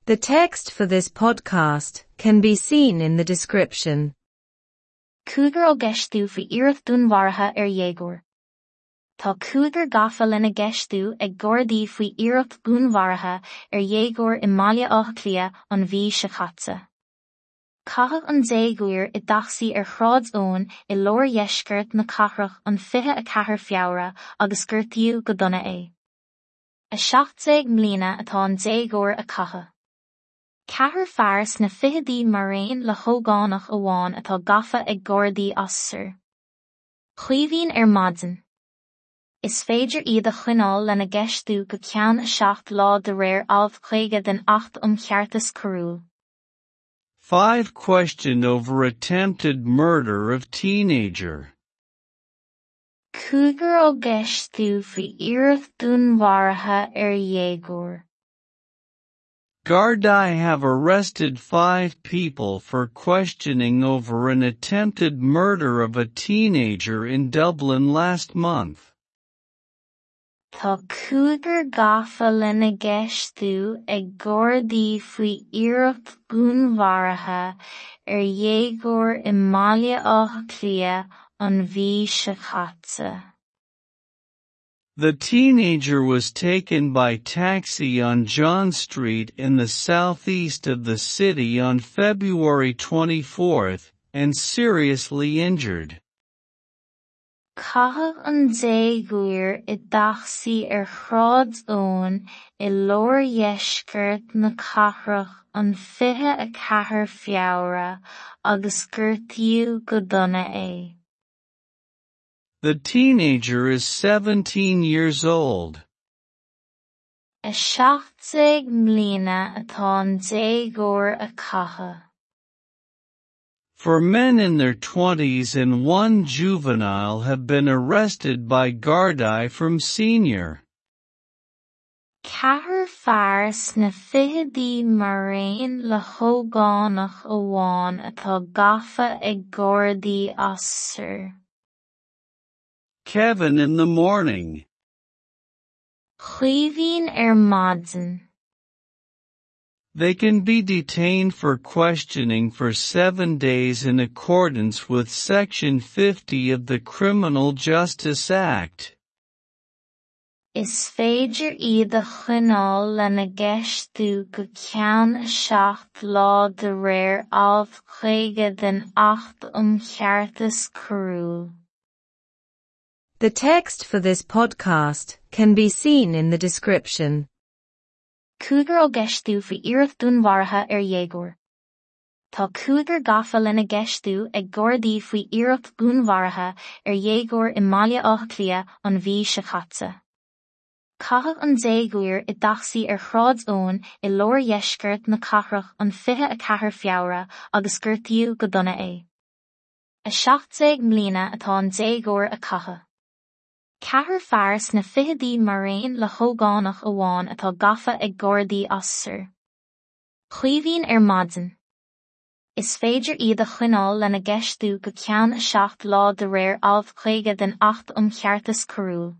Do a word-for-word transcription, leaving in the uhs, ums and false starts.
The text for this podcast can be seen in the description. Cúigear á gceistiú faoi iarracht dúnmharaithe ar dhéagóir. Tá cúigear gafa lena gceistiú ag Gardaí faoi iarracht dhúnmharaithe ar dhéagóir i mBaile Átha Cliath an mhí seo caite. Caitheadh an déagóir i dtacsaí ar Shráid Eoin i lár dheisceart na cathrach an fiche a ceathair Feabhra agus gortaíodh go dona é. A seacht déag mbliana atá an déagóir a caitheadh. Ceathrar fear sna fichidí mar aon le hógánach amháin atá gafa ag Gardaí as Sir. Caoimhín ar maidin. Is féidir iad a choinneáil lena gceistiú go ceann a seacht lá de réir alt caoga den Acht um Cheartas Coiriúil. Five questioned over attempted murder of teenager. Cúigear á gceistiú faoi iarracht dúnmharaithe ar dhéagóir. Gardaí have arrested five people for questioning over an attempted murder of a teenager in Dublin last month. Tá cúigear gafa lena gceistiú ag Gardaí faoi iarracht dhúnmharaithe ar dhéagóir i mBaile Átha Cliath an mhí seo caite. The teenager was taken by taxi on John Street in the southeast of the city on February twenty-fourth, and seriously injured. Caitheadh an déagóir i dtacsaí ar Shráid Eoin i lár dheisceart na cathrach an fiche a ceathair Feabhra agus gortaíodh go dona é. The teenager is seventeen years old. A seacht déag mbliana atá an déagóir a caitheadh. Four men in their twenties and one juvenile have been arrested by Gardaí from Senior. Ceathrar fear sna fichidí mar aon le hógánach amháin atá gafa ag Gardaí as Sir. Kevin in the morning. Caoimhín ar maidin. They can be detained for questioning for seven days in accordance with Section fifty of the Criminal Justice Act. Is féidir iad a choinneáil lena gceistiú go ceann a seacht lá de réir alt caoga den Acht um Cheartas Coiriúil. The text for this podcast can be seen in the description. Cúigear á gceistiú faoi iarracht dúnmharaithe ar dhéagóir. Tá cúigear gafa lena gceistiú ag Gardaí faoi iarracht dhúnmharaithe ar dhéagóir i mBaile Átha Cliath an mhí seo caite. Caitheadh an déagóir i dtacsaí ar Shráid Eoin i lár dheisceart na cathrach an fiche a ceathair Feabhra agus gortaíodh go dona é. A seacht déag mbliana atá an déagóir a caitheadh. Ceathrar fear sna fichidí mar aon le hógánach amháin atá gafa ag Gardaí as Sir. Caoimhín ar maidin. Is féidir iad a choinneáil lena gceistiú go ceann a seacht lá de réir alt caoga den Acht um Cheartas Coiriúil.